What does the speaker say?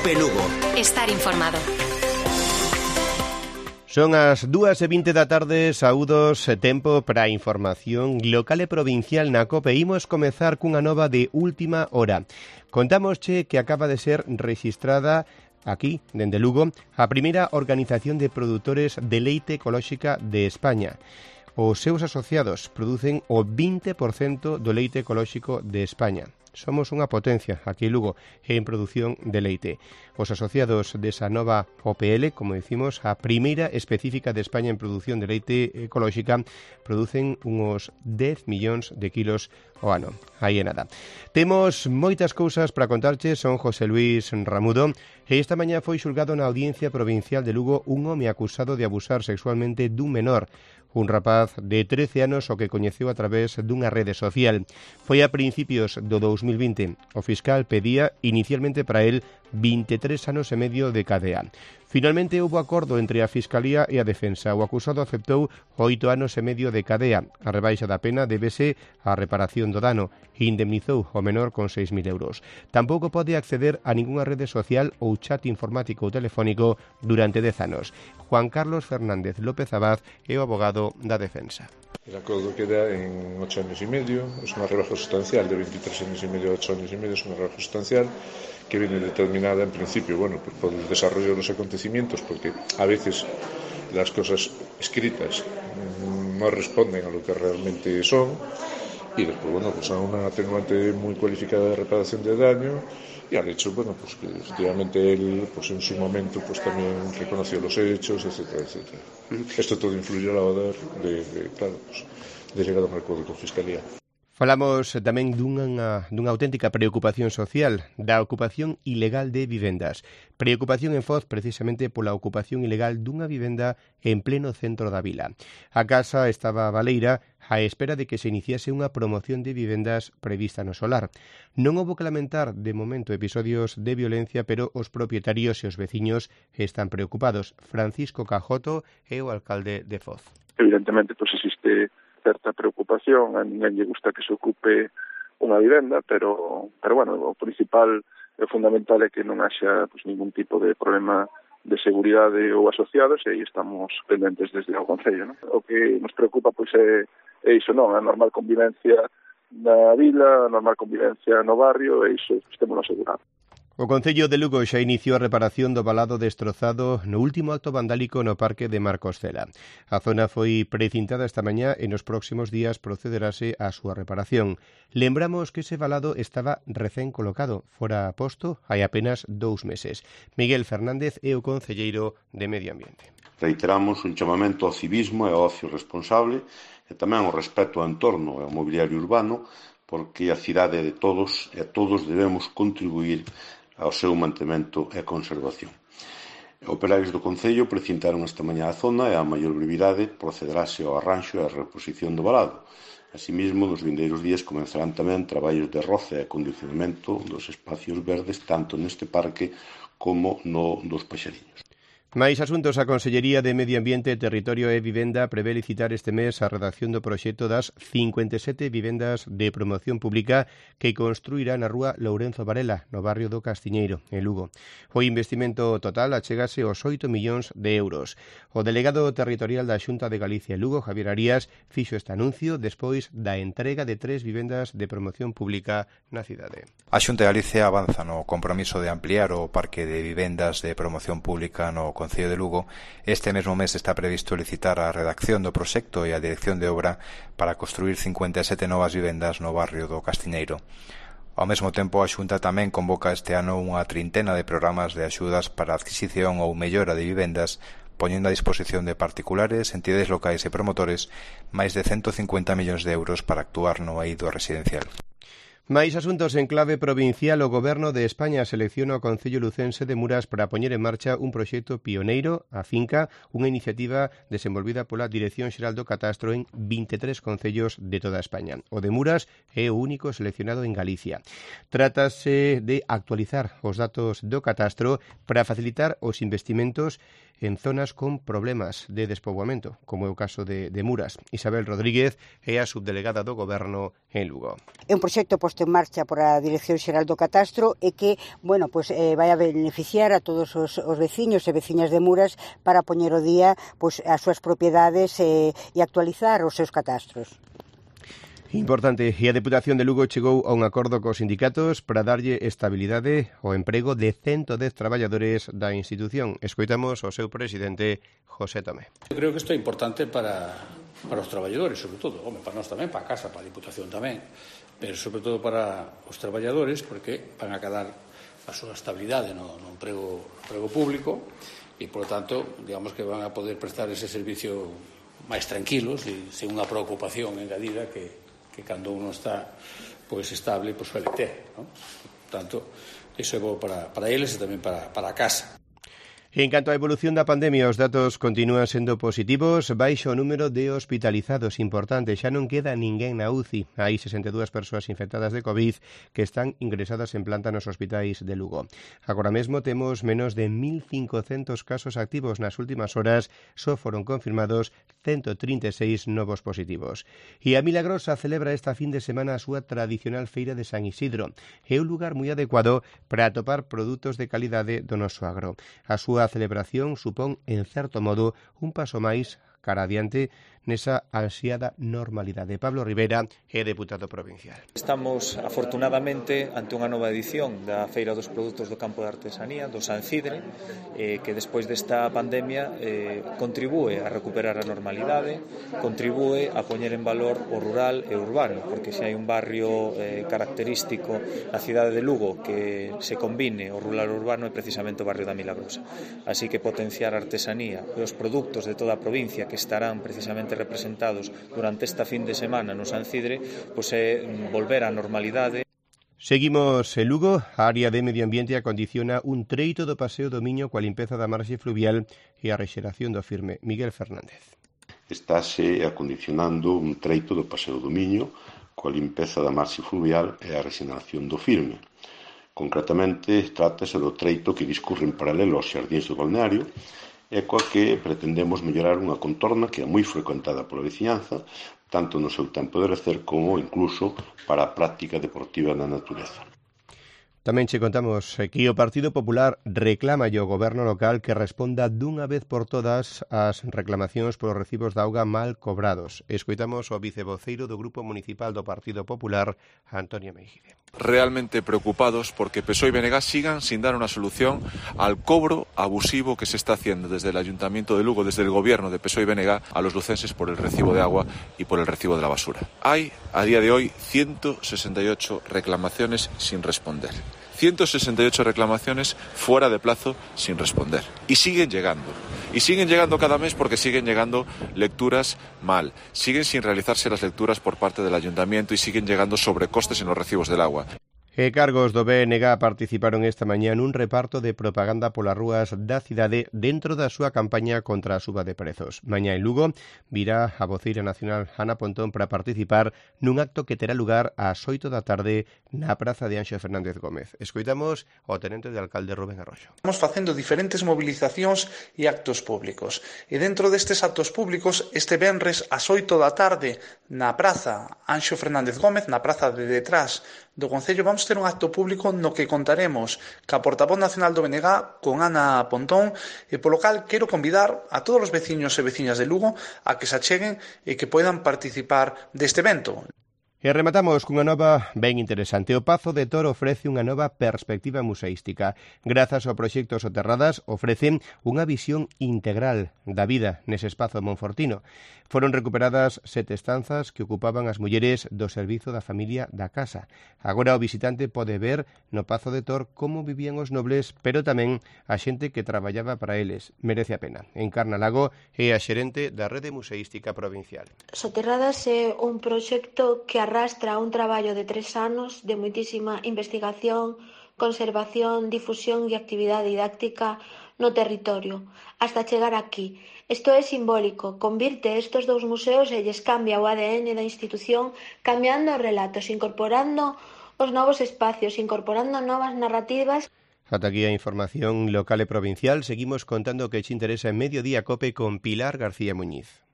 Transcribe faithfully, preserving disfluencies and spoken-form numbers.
COPE Lugo. Estar informado. Son as dúas e vinte da tarde, saúdos, tempo para a información local e provincial na COPE. Imos comezar cunha nova de última hora. Contámosche que acaba de ser rexistrada aquí, dende Lugo, a primeira organización de produtores de leite ecolóxica de España. Os seus asociados producen o vinte por cento do leite ecolóxico de España. Somos unha potencia aquí en Lugo en produción de leite. Os asociados desa nova O P L, como decimos, a primeira específica de España en produción de leite ecolóxica, producen uns dez millóns de kilos ao ano. Aí é nada. Temos moitas cousas para contarche, son José Luis Ramudo, e esta mañá foi xulgado na Audiencia Provincial de Lugo un home acusado de abusar sexualmente dun menor, un rapaz de trece anos o que coñeceu a través dunha rede social. Foi a principios do dous mil vinte. O fiscal pedía inicialmente para él vinte e tres anos e medio de cadea. Finalmente houbo acordo entre a Fiscalía e a Defensa. O acusado aceptou oito anos e medio de cadea. A rebaixa da pena débese á reparación do dano e indemnizou o menor con seis mil euros. Tampouco pode acceder a ningunha rede social ou chat informático ou telefónico durante dez anos. Juan Carlos Fernández López Abad é o abogado da Defensa. El acordo queda en ocho años y medio, es una rebaja sustancial, de veintitrés años y medio a ocho años y medio, es una rebaja sustancial que viene determinada en principio, bueno, pues por el desarrollo de los acontecimientos, porque a veces las cosas escritas no responden a lo que realmente son, y después, bueno, pues a una atenuante muy cualificada de reparación de daño, y al hecho, bueno, pues que efectivamente él, pues en su momento, pues también reconoció los hechos, etcétera, etcétera. Esto todo influye a la hora de, de claro, pues, de llegar a un acuerdo con Fiscalía. Falamos tamén dunha, dunha auténtica preocupación social, da ocupación ilegal de vivendas. Preocupación en Foz precisamente pola ocupación ilegal dunha vivenda en pleno centro da vila. A casa estaba baleira á espera de que se iniciase unha promoción de vivendas prevista no solar. Non houbo que lamentar de momento episodios de violencia, pero os propietarios e os veciños están preocupados. Francisco Cajoto é o alcalde de Foz. Evidentemente, pois existe certa preocupación, a ninguén lle gusta que se ocupe unha vivenda, pero, pero bueno, o principal e fundamental é que non haxa pues, ningún tipo de problema de seguridade ou asociados, e aí estamos pendentes desde o Concello, ¿no? O que nos preocupa pois é, é iso, non? A normal convivencia na vila, a normal convivencia no barrio, e iso estemos asegurados. O Concello de Lugo xa iniciou a reparación do valado destrozado no último acto vandálico no Parque de Marcos Cela. A zona foi precintada esta mañá e nos próximos días procederase á súa reparación. Lembramos que ese valado estaba recén colocado, fora posto hai apenas dous meses. Miguel Fernández é o concelleiro de Medio Ambiente. Reiteramos un chamamento ao civismo e ao ocio responsable e tamén ao respeto ao entorno e ao mobiliario urbano, porque a cidade é de todos e todos debemos contribuir ao seu mantemento e conservación. Operarios do Concello precintaron esta mañá a zona e a maior brevidade procederase ao arranxo e a reposición do valado. Asimismo, nos vindeiros días comenzarán tamén traballos de roce e acondicionamento dos espacios verdes tanto neste parque como no dos Paxariños. Máis asuntos. A Consellería de Medio Ambiente, Territorio e Vivenda prevé licitar este mes a redacción do proxecto das cincuenta e sete vivendas de promoción pública que construirá na rúa Lourenzo Varela, no barrio do Castiñeiro, en Lugo. O investimento total achegase aos oito millóns de euros. O delegado territorial da Xunta de Galicia en Lugo, Javier Arías, fixo este anuncio despois da entrega de tres vivendas de promoción pública na cidade. A Xunta de Galicia avanza no compromiso de ampliar o parque de vivendas de promoción pública no Concello de Lugo. Este mesmo mes está previsto licitar a redacción do proxecto e a dirección de obra para construir cincuenta e sete novas vivendas no barrio do Castiñeiro. Ao mesmo tempo, a Xunta tamén convoca este ano unha trintena de programas de axudas para a adquisición ou mellora de vivendas, poñendo a disposición de particulares, entidades locais e promotores máis de ciento cincuenta millóns de euros para actuar no eido residencial. Máis asuntos en clave provincial. O Goberno de España selecciona o Concello lucense de Muras para poñer en marcha un proxecto pioneiro, a finca, unha iniciativa desenvolvida pola Dirección Xeral do Catastro en vinte e tres concellos de toda España. O de Muras é o único seleccionado en Galicia. Trátase de actualizar os datos do catastro para facilitar os investimentos en zonas con problemas de despoboamento, como é o caso de, de Muras. Isabel Rodríguez é a subdelegada do Goberno en Lugo. É un proxecto posto posto en marcha por a Dirección Xeral do Catastro e que, bueno, pois eh, vai a beneficiar a todos os, os veciños e veciñas de Muras para poñer o día pois as súas propiedades e, e actualizar os seus catastros. Importante, e a Deputación de Lugo chegou a un acordo cos sindicatos para darlle estabilidade ao emprego de ciento dez traballadores da institución. Escoitamos o seu presidente, José Tomé. Eu creo que isto é importante para, para os traballadores, sobre todo, home, para nós tamén, para a Casa, para a Diputación tamén, pero sobre todo para os traballadores, porque van a quedar a súa estabilidade no, no emprego, emprego público e, por lo tanto, digamos que van a poder prestar ese servicio máis tranquilos e sen unha preocupación engadida que que cando uno está pois estable, pois suele ter, ¿no? Por tanto, iso é bo para, para eles e tamén para, para a casa. En canto á evolución da pandemia, os datos continúan sendo positivos, baixo o número de hospitalizados, importante, xa non queda ninguén na U C I. Hai sesenta e dúas persoas infectadas de COVID que están ingresadas en planta nos hospitais de Lugo. Agora mesmo temos menos de mil cincocentos casos activos. Nas últimas horas só foron confirmados ciento trinta e seis novos positivos. E a Milagrosa celebra esta fin de semana a súa tradicional feira de San Isidro. É un lugar moi adecuado para atopar produtos de calidade do noso agro. A súa celebración supón, en certo modo, un paso máis cara adiante nesa ansiada normalidade. Pablo Rivera é deputado provincial. Estamos, afortunadamente, ante unha nova edición da Feira dos Produtos do Campo de Artesanía, do San Cidre, eh, que despois desta pandemia eh, contribúe a recuperar a normalidade, contribúe a poñer en valor o rural e urbano, porque se hai un barrio eh, característico na cidade de Lugo que se combine o rural e urbano é precisamente o barrio da Milagrosa. Así que potenciar a artesanía e os produtos de toda a provincia que estarán precisamente representados durante esta fin de semana no San Cidre, pois é volver á normalidade. Seguimos en Lugo. A área de medio ambiente acondiciona un treito do paseo do Miño coa limpeza da marxe fluvial e a rexeración do firme. Miguel Fernández. Estáse acondicionando un treito do paseo do Miño coa limpeza da marxe fluvial e a rexeración do firme. Concretamente, trátase do treito que discurre en paralelo aos xardíns do balneario e coa que pretendemos mellorar unha contorna que é moi frecuentada pola veciñanza, tanto no seu tempo de lecer como incluso para a práctica deportiva na natureza. Tamén che contamos que o Partido Popular reclama ao goberno local que responda dunha vez por todas as reclamacións polos recibos de auga mal cobrados. Escoitamos o vicevoceiro do Grupo Municipal do Partido Popular, Antonio Meijide. Realmente preocupados porque P S O E y B N G sigan sin dar una solución al cobro abusivo que se está haciendo desde el Ayuntamiento de Lugo, desde el gobierno de P S O E y B N G a los lucenses por el recibo de agua y por el recibo de la basura. Hay, a día de hoy, ciento sesenta y ocho reclamaciones sin responder. ciento sesenta y ocho reclamaciones fuera de plazo sin responder. Y siguen llegando. Y siguen llegando cada mes porque siguen llegando lecturas mal. Siguen sin realizarse las lecturas por parte del ayuntamiento y siguen llegando sobrecostes en los recibos del agua. E cargos do B N G participaron esta mañá nun reparto de propaganda polas rúas da cidade dentro da súa campaña contra a suba de prezos. Mañá en Lugo virá a voceira nacional Ana Pontón para participar nun acto que terá lugar ás oito da tarde na praza de Anxo Fernández Gómez. Escoitamos ao tenente de alcalde Rubén Arroxo. Estamos facendo diferentes movilizacións e actos públicos. E dentro destes actos públicos, este venres ás oito da tarde na praza Anxo Fernández Gómez, na praza de detrás do Concello, vamos ter un acto público no que contaremos ca portavoz nacional do B N G con Ana Pontón, e polo cal quero convidar a todos os veciños e veciñas de Lugo a que se acheguen e que poidan participar deste evento. E rematamos cunha nova ben interesante. O Pazo de Tor ofrece unha nova perspectiva museística. Grazas ao proxecto Soterradas ofrecen unha visión integral da vida nese espazo monfortino. Foron recuperadas sete estanzas que ocupaban as mulleres do servizo da familia da casa. Agora o visitante pode ver no Pazo de Tor como vivían os nobles, pero tamén a xente que traballaba para eles. Merece a pena. Encarna Lago é a xerente da Rede Museística Provincial. Soterradas é un proxecto que arrastra un traballo de tres anos de moitísima investigación, conservación, difusión e actividade didáctica no territorio, hasta chegar aquí. Isto é simbólico, convirte estes dous museos e lles cambia o A D N da institución, cambiando os relatos, incorporando os novos espacios, incorporando novas narrativas. Ata aquí a información local e provincial. Seguimos contando que che interesa en Mediodía Cope con Pilar García Muñiz.